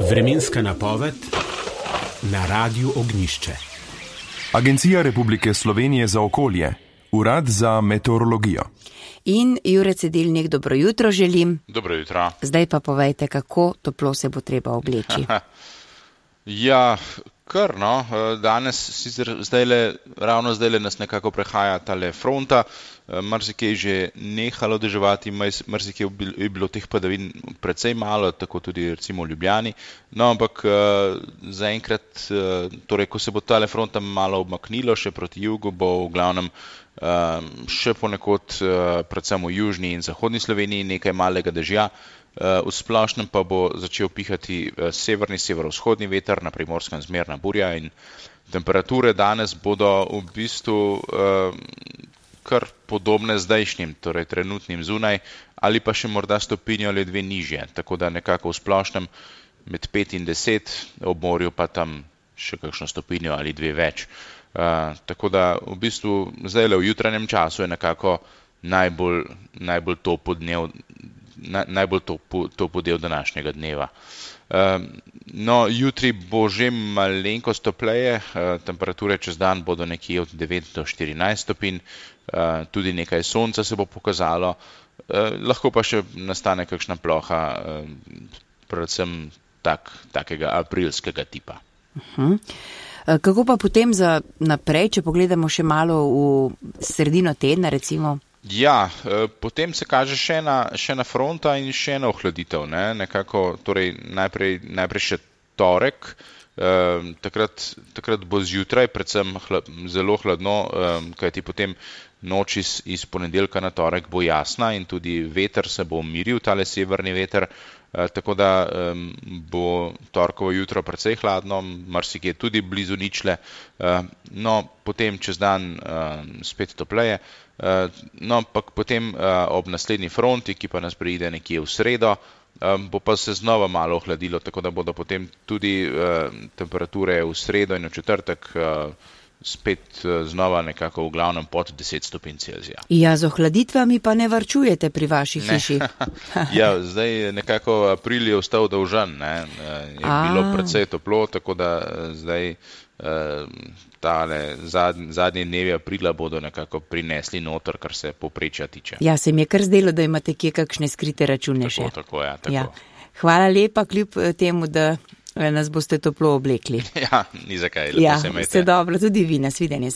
Vremenska napoved na Radiu Ognjišče. Agencija Republike Slovenije za okolje, Urad za meteorologijo. In Jure Cedilnik, dobro jutro želim. Dobro jutro. Zdaj pa povejte, kako toplo se bo treba obleči. Ja, kar no, danes, ravno zdajle nas nekako prehaja tale fronta, marsikaj že nehalo deževati, marsikaj je bilo teh padavin precej malo, tako tudi recimo v Ljubljani, no ampak zaenkrat, torej ko se bo tale fronta malo obmaknilo še proti jugu, bo v glavnem še ponekod, predvsem v južni in zahodni Sloveniji nekaj malega dežja. V splošnem pa bo začel pihati severni, severovzhodni veter, na Primorskem zmerna burja in temperature danes bodo v bistvu kar podobne zdajšnjim, torej trenutnim zunaj, ali pa še morda stopinjo ali dve nižje, tako da nekako v splošnem med 5 in 10, ob morju pa tam še kakšno stopinjo ali dve več. Tako da v bistvu zdajle v jutranjem času je nekako najbolj topel del današnjega dneva. No, jutri bo že malenkost topleje, temperature čez dan bodo nekje od 9 do 14 stopinj, tudi nekaj sonca se bo pokazalo, lahko pa še nastane kakšna ploha, predvsem takega aprilskega tipa. Kako pa potem za naprej, če pogledamo še malo v sredino tedna recimo? Ja, potem se kaže še ena fronta in še ena ohladitev, ne? Nekako, torej najprej še torek, takrat bo zjutraj predvsem zelo hladno, kajti potem noč iz ponedeljka na torek bo jasna in tudi veter se bo umiril, tale severni veter, tako da bo torkovo jutro precej hladno, marsikje tudi blizu ničle, no potem čez dan spet topleje, no ampak potem ob naslednji fronti, ki pa nas pride nekje v sredo, bo pa se znova malo ohladilo, tako da bodo potem tudi temperature v sredo in v četrtek spet znova nekako v glavnem pod 10 stopinj Celzija. Ja, z ohladitvami pa ne varčujete pri vaši hiši. Ja, zdaj nekako april je ostal dolžan, ne, je bilo precej toplo, tako da zdaj tale zadnji dnevi aprila bodo nekako prinesli noter, kar se povprečja tiče. Ja, se mi je kar zdelo, da imate kje kakšne skrite račune še. Tako, ja, tako. Ja. Hvala lepa, kljub temu, da nas boste toplo oblekli. Ja, ni zakaj, lepo se imejte. Ja, vse dobro, tudi vi, nasvidenje.